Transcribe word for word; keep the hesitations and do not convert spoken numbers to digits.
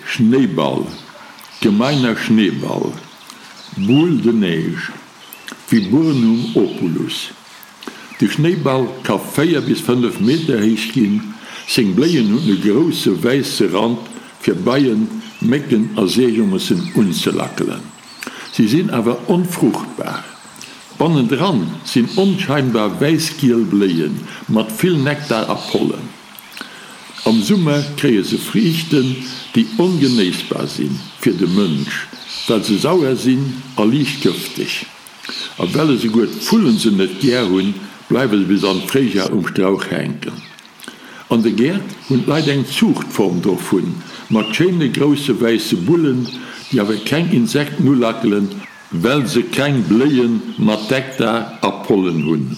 Schnéiball, Gemeiner Schneeball, Boule de neige, Viburnum opulus. De Schnéiball ka véier bis fënnef Meter héich ginn. Seng Bléien hunn e grousse wäisse Rand fir Beien, Mécken a Seejommersen unzelackelen. Si sinn awer onfruchtbar. Bannendran sinn onscheinbar wäiss-giel Bléie mat vill Nektar a Pollen. Am Summer kréie se Friichten, déi ongenéissbar si fir de Mënsch, well se sauer sinn a liicht gëfteg. A well esouguer d'Vullen se net gär hunn, bleiwe se bis an d'Fréijar um Strauch hänken. An de Gäert hunn d'Leit eng Zuuchtform dovun, mat schéine grousse wäisse Bullen, déi awer keng Insekten ulackelen, well se keng Bléie mat Nektar a Pollen hunn.